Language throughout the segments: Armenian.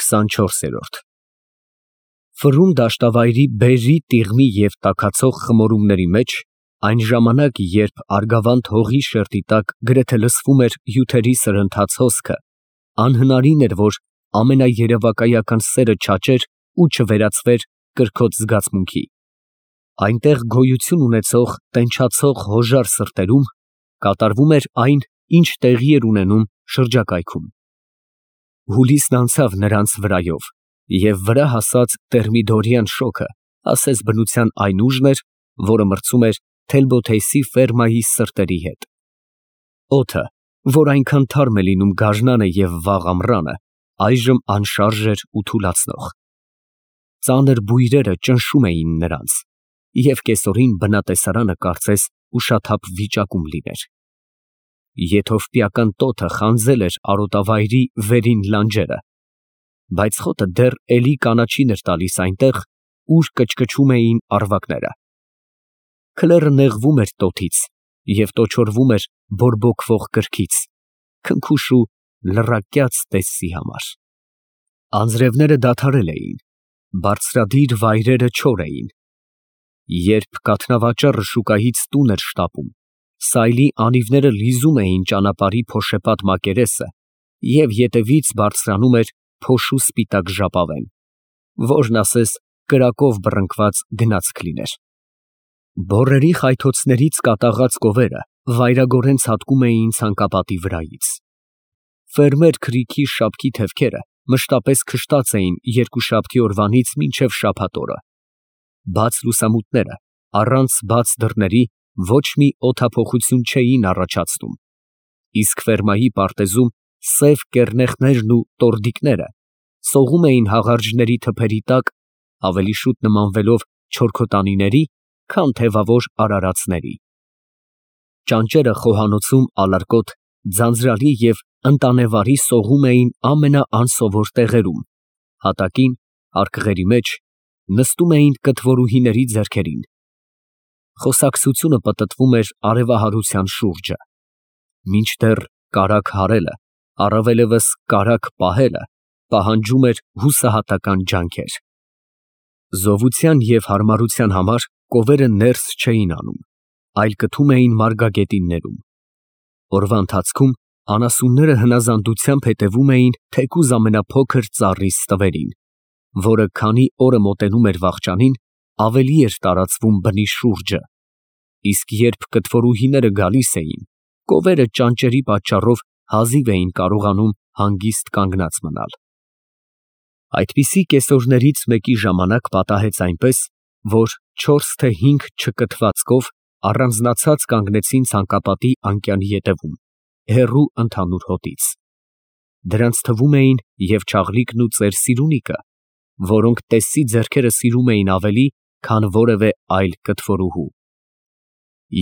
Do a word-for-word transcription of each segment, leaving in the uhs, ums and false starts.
քսանչորսերորդ Ֆռուն դաշտավայրի բերրի, տիղմի և տաքացող խմորումների մեջ, այն ժամանակ, երբ Արգավանդ հողի շերտի տակ գրեթե լսվում էր հյութերի սրընթաց հոսքը, անհնարին էր, որ ամենաերևակայական սերը չաճեր ու չվերածվեր կրքոտ զգացմունքի. այնտեղ գոյություն ունեցող տենչացող հոժար սրտերում կատարվում էր այն, ինչ տեղի էր ունենում շրջակայքում։ Հուլիսն անցավ նրանց վրայով, և վրա հասած տերմիդորյան շոգը ասես բնության այն ուժն էր, որը մրցում էր Թելբոթեյսի ֆերմայի սրտերի հետ։ Օդը, որ այնքան թարմ է լինում գարնանը և վաղ ամռանը, այժմ անշարժ էր ու թուլացնող։ Ծանր բույրերը ճնշում էին նրանց, և կեսօրին բնատեսարանը կարծես ուշաթափ վիճակում լիներ։ Եթովպիական տոթը խանձել էր արոտավայրի վերին լանջերը, բայց խոտը դեռ էլի կանաչին էր տալիս այնտեղ, ուր կչկչում էին առվակները։ Քլերը նեղվում էր տոթից և տոչորվում էր բորբոքվող կրքից, քնքուշ ու լռակյաց տեսցի համար։ Անձրևները դադարել էին, բարձրադիր վայրերը չոր էին։ Երբ կաթնավաճառը շուկայից տուն էր շտապում, սայլի անիվները լիզում էին ճանապարհի փոշեպատ մակերեսը, և ետևից բարձրանում էր փոշու սպիտակ ժապավեն, որն ասես կրակով բռնկված գնացք լիներ։ Բոռերի խայթոցներից կատաղած կովերը վայրագորեն ցատկում էին ցանկապատի վրայից։ Ֆերմեր Քրիքի շապքի թևքերը մշտապես քշտած էին երկուշաբթի օրվանից մինչև շաբաթ օրը։ Բաց լուսամուտները առանց բաց դռների ոչ մի օդափոխություն չէին առաջացնում, իսկ ֆերմայի պարտեզում սև կեռնեխներն ու տորդիկները սողում էին հաղարջների թփերի տակ, ավելի շուտ նմանվելով չորքոտանիների, քան թևավոր արարածների։ Ճանճերը խոհանոցում ալարկոտ, ձանձրալի և ընտանեվարի սողում էին ամենաանսովոր տեղերում, հատակին, արկղերի մեջ, նստում էին կթվորուհիների ձեռքերին։ Խոսակցությունը պտտվում էր արևահարության շուրջը, մինչդեռ կարագ հարելը, առավելևս կարագ պահելը պահանջում էր հուսահատական ջանքեր։ Զովության և հարմարության համար կովերը ներս չէին անում, այլ կթում էին մարգագետիններում։ Օրվա ընթացքում անասունները հնազանդությամբ հետևում էին թեկուզ ամենափոքր ծառի ստվերին, որը քանի օրը մոտենում էր վախճանին, ավելի էր տարածվում բնի շուրջը, իսկ երբ կթվորուհիները գալիս էին, կովերը ճանճերի պատճառով հազիվ էին կարողանում հանգիստ կանգնած մնալ։ Այդպիսի կեսօրներից մեկի ժամանակ պատահեց այնպես, որ չորս թե հինգ չկթված կով առանձնացած կանգնեցին ցանկապատի անկյանի ետևում, հեռու ընդհանուր հոտից։ Դրանց թվում էին և Չաղլիկն ու ծեր Սիրունիկը, որոնք տեսցի ձեռքերը սիրում էին ավելի, քան որևէ այլ կթվորուհու։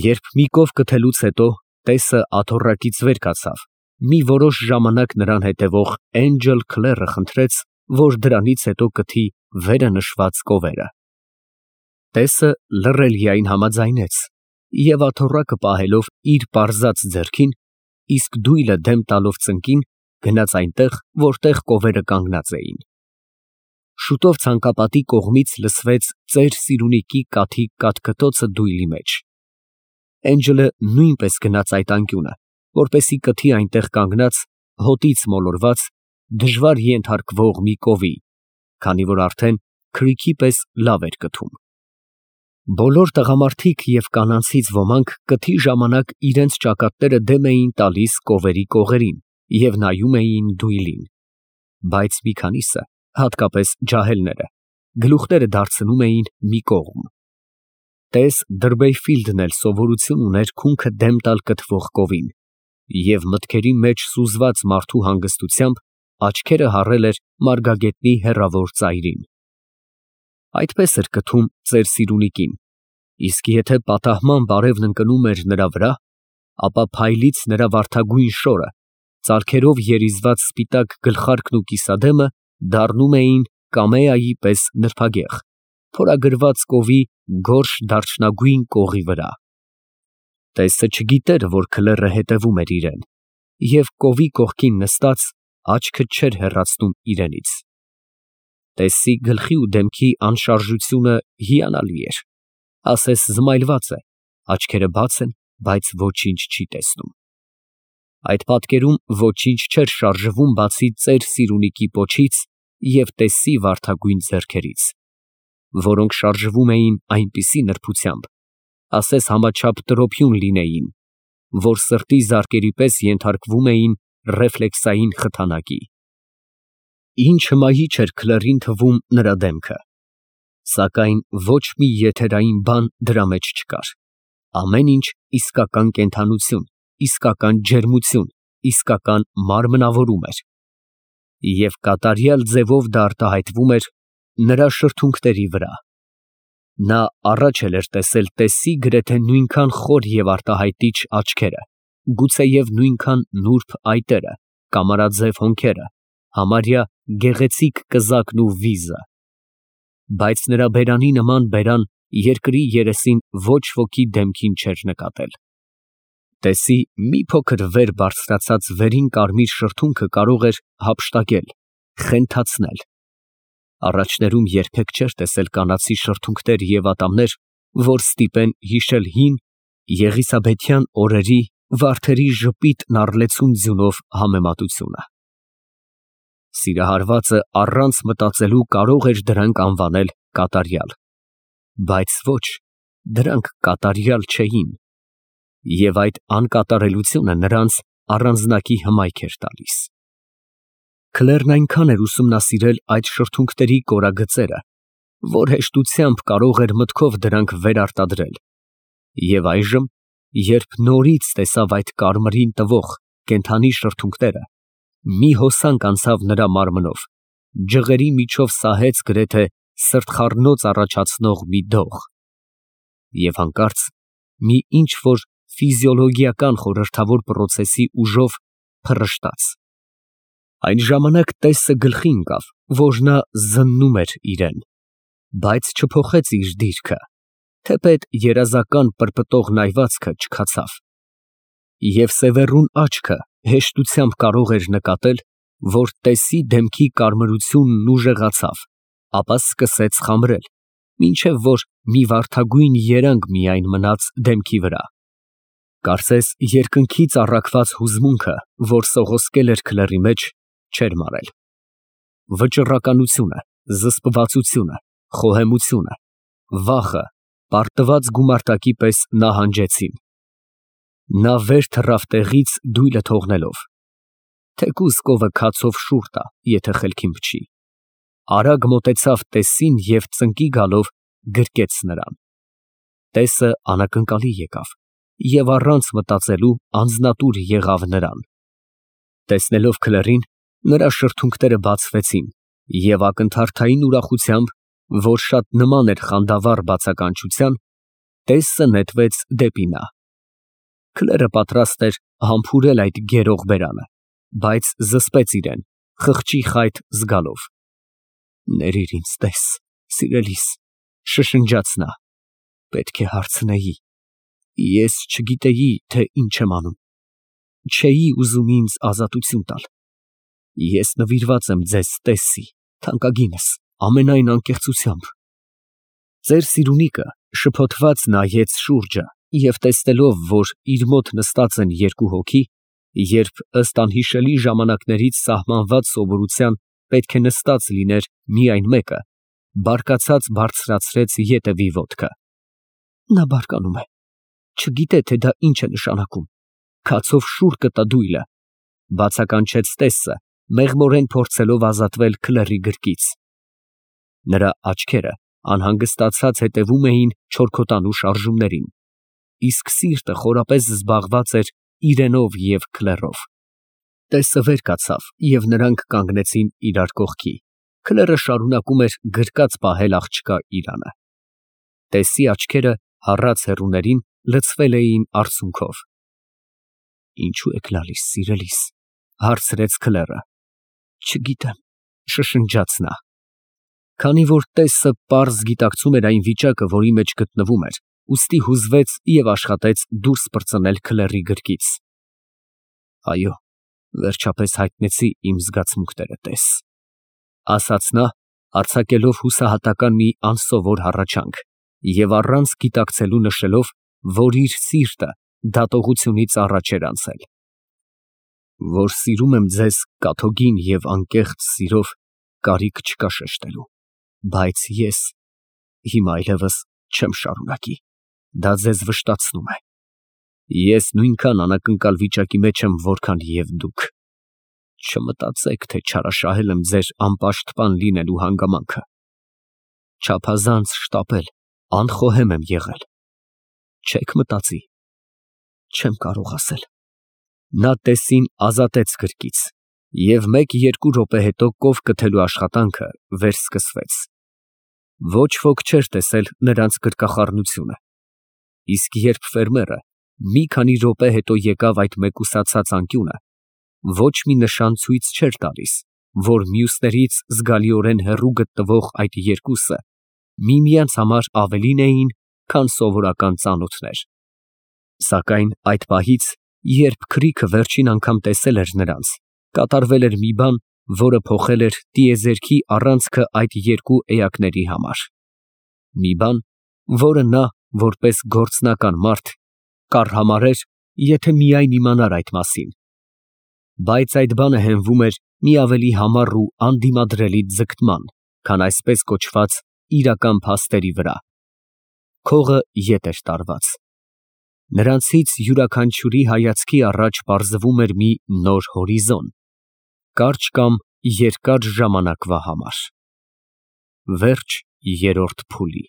Երբ մի կով կթելուց հետո տեսը աթոռակից վեր կացավ, մի որոշ ժամանակ նրան հետևող Էնջլ Քլերը խնդրեց, որ դրանից հետո կթի վերը նշված կովերը։ Տեսը լռելիայն համաձայնեց և աթոռակը պահելով իր պարզած ձեռքին, իսկ դույլը դեմ տալով ծնկին, գնաց այնտեղ, որտեղ կովերը կանգնած էին։ Շուտով ցանկապատի կողմից լսվեց ծեր Սիրունիկի կաթի կաթկտոցը դույլի մեջ։ Էնջլը նույնպես գնաց այդ անկյունը, որպեսզի կթի այնտեղ կանգնած, հոտից մոլորված, դժվար ենթարկվող մի կովի, քանի որ արդեն Քրիքի պես լավ էր կթում։ Բոլոր տղամարդիկ և կանանցից ոմանք կթի ժամանակ իրենց ճակատները դեմ էին տալիս կովերի կողերին և նայում էին դույլին, բայց մի քանիսը, հատկապես ջահելները, գլուխները դարձնում էին մի կողմ։ Տես Դրբեյֆիլդն էլ սովորություն ուներ քունքը դեմ տալ կթվող կովին, և մտքերի մեջ սուզված մարդու հանգստությամբ աչքերը հառել էր մարգագետնի հեռավոր ծայրին։ Այդպես էր կթում ծեր Սիրունիկին, իսկ եթե պատահմամբ արևն ընկնում էր նրա վրա, ապա փայլից նրա վարդագույն շորը, ծալքերով երիզված սպիտակ գլխարկն ու կիսադեմը դառնում էին կամեայի պես նրբագեղ, փորագրված կովի գորշ դարչնագույն կողի վրա։ Տեսը չգիտեր, որ Քլերը հետևում էր իրեն, և կովի կողքին նստած, աչքը չէր հեռացնում իրենից։ Տեսի գլխի ու դեմքի անշարժությունը հիանալի էր, ասես զմայլված է, աչքերը բաց են, բայց ոչինչ չի տեսնում։ Այդ պատկերում ոչինչ չէր շարժվում, բացի ծեր Սիրունիքի պոչից և Տեսի վարդագույն ձեռքերից, որոնք շարժվում էին այնպիսի նրբությամբ, ասես համաչափ տրոփյուն լինեին, որ սրտի զարկերի պես ենթարկվում էին ռեֆլեքսային խթանակի։ Ինչ հմայիչ էր Քլեռին թվում նրա դեմքը, սակայն ոչ մի եթերային բան դրա մեջ չկար, ամեն ինչ իսկական կենդանություն, իսկական ջերմություն, իսկական մարմնավորում էր, և կատարյալ ձևով դա արտահայտվում էր նրա շրթունքների վրա։ Նա առաջ էր տեսել Տեսի գրեթե նույնքան խոր և արտահայտիչ աչքերը, գուցեև նույնքան նուրբ այտերը, կամարաձև հոնքերը, համարյա գեղեցիկ կզակն ու վիզը, բայց նրա բերանի նման բերան երկրի երեսին ոչ ոքի դեմքին չէր նկատել։ Տեսի մի փոքր վեր բարձրացած վերին կարմիր շրթունքը կարող էր հափշտակել, խենթացնել։ Առաջներում երբեք չէր տեսել կանացի շրթունքներ և ատամներ, որ ստիպեն հիշել հին եղիսաբեթյան օրերի վարդերի ժպիտն առլեցուն ձյունով համեմատությունը։ Սիրահարվածը առանց մտածելու կարող էր դրանք անվանել կատարյալ, բայց ոչ, դրանք կատարյալ չէին, և այդ անկատարելությունը նրանց առանձնակի հմայք էր տալիս։ Քլեռն այնքան էր ուսումնասիրել այդ շրթունքների կորագծերը, որ հեշտությամբ կարող էր մտքով դրանք վերարտադրել, և այժմ, երբ նորից տեսավ այդ կարմիրին տվող կենդանի շրթունքները, մի հոսանք անցավ նրա մարմնով, ջղերի միջով սահեց գրեթե սրտխառնոց առաջացնող մի դող, և հանկարծ մի ինչ֊որ ֆիզիոլոգիական խորհրդավոր պրոցեսի ուժով փռշտաց։ Այն ժամանակ Տեսը գլխի ընկավ, որ նա զննում էր իրեն, բայց չփոխեց իր դիրքը, թեպետ երազական պրպտող նայվածքը չքացավ, և սևեռուն աչքը հեշտությամբ կարող էր նկատել, որ Տեսի դեմքի կարմրությունն ուժեղացավ, ապա սկսեց խամրել, մինչև որ մի վարդագույն երանգ միայն մնաց դեմքի վրա։ Կարծես երկնքից առաքված հուզմունքը, որ սողոսկել էր Քլեռի մեջ, չէր մարել։ Վճռականությունը, զսպվածությունը, խոհեմությունը, վախը պարտված գումարտակի պես նահանջեցին։ Նա վեր թռավ տեղից դույլը թողնելով, թեկուզ կովը քացով շուռ տա, եթե խելքին փչի, արագ մոտեցավ Տեսին և ծնկի գալով գրկեց նրան։ Տեսը անակնկալի եկավ և առանց մտածելու անձնատուր եղավ նրան։ Տեսնելով Քլեռին, նրա շրթունքները բացվեցին, և ակնթարթային ուրախությամբ, որ շատ նման էր խանդավառ բացականչության, Տեսը նետվեց դեպի նա։ Քլեռը պատրաստ էր համբուրել այդ գերող բերանը, բայց զսպեց իրեն, խղճի խայթ զգալով։ «Ներիր ինձ, Տես, սիրելիս», շշնջաց նա, «պետք է հարցնեի, ես չգիտեի, թե ինչ եմ անում, չէի ուզում ինձ ազատություն տալ, ես նվիրված եմ ձեզ, Տեսի, թանկագինս, ամենայն անկեղծությամբ»։ Ծեր Սիրունիքը շփոթված նայեց շուրջը և տեսնելով, որ իր մոտ նստած են երկու հոգի, երբ ըստ անհիշելի ժամանակներից սահմանված սովորության պետք է նստած լիներ միայն մեկը, բարկացած բարձրացրեց ետևի ոտքը։ Նա բարկանում է, չգիտե, թե դա ինչ է նշանակում, քացով շուռ կտա դույլը, բացականչեց Տեսը, մեղմորեն փորձելով ազատվել Քլեռի գրկից։ Նրա աչքերը անհանգստացած հետևում էին չորքոտանու շարժումներին, իսկ սիրտը խորապես զբաղված էր իրենով և Քլեռով։ Տեսը վեր կացավ, և նրանք կանգնեցին իրար կողքի, Քլեռը շարունակում էր գրկած պահել աղջկա իրանը։ Տեսի աչքերը հառած հեռուներին լցվել էին արցունքով։ «Ինչո՞ւ եք լալիս, սիրելիս», հարցրեց Քլեռը։ «Չգիտեմ», շշնջաց նա։ Քանի որ Տեսը պարզ գիտակցում էր այն վիճակը, որի մեջ գտնվում էր, ուստի հուզվեց և աշխատեց դուրս պրծնել Քլեռի գրկից։ «Այո, վերջապես հայտնեցի իմ զգացմունքները, Տես», ասաց նա արձակելով հուսահատական մի անսովոր հառաչանք և առանց գիտակցելու նշելով, որ իր սիրտը դատողությունից առաջ էր անցել։ Որ սիրում եմ ձեզ կաթոկին և անկեղծ սիրով, կարիք չկա շեշտելու, բայց ես հիմա այլևս չեմ շարունակի, դա ձեզ վշտացնում է։ Ես նույնքան անակնկալ վիճակի մեջ եմ, որքան և դուք։ Չմտածեք, թե չարաշահել եմ ձեր անպաշտպան լինելու հանգամանքը։ Չափազանց շտապել, անխոհեմ եմ եղել։ Չեք մտածի, չեմ կարող ասել։ Նա տեսին ազատեց գրկից, և մեկ֊երկու րոպե հետո կով կթելու աշխատանքը վերսկսվեց։ Ոչ ոք չէր տեսել նրանց գրկախառնությունը, իսկ երբ ֆերմերը մի քանի րոպե հետո եկավ այդ մեկուսացած անկյունը, ոչ մի նշան ցույց չէր տալիս, որ մյուսներից զգալիորեն հեռու գտնվող այդ երկուսը միմյանց համար ավելին էին, քան սովորական ծանոթներ։ Սակայն այդ պահից, երբ Քրիքը վերջին անգամ տեսել էր նրանց, կատարվել էր մի բան, որը փոխել էր տիեզերքի առանցքը այդ երկու էակների համար։ Մի բան, որը նա, որպես գործնական մարդ, կառհամարեր, եթե միայն իմանար այդ մասին։ Բայց այդ բանը հենվում էր մի ավելի համառ ու անդիմադրելի ձգտման, քան այսպես կոչված իրական փաստերի վրա։ Քողը ետ էր տարված։ Նրանցից յուրաքանչյուրի հայացքի առաջ պարզվում էր մի նոր հորիզոն, կարճ կամ երկար ժամանակվա համար։ Վերջ երրորդ փուլի։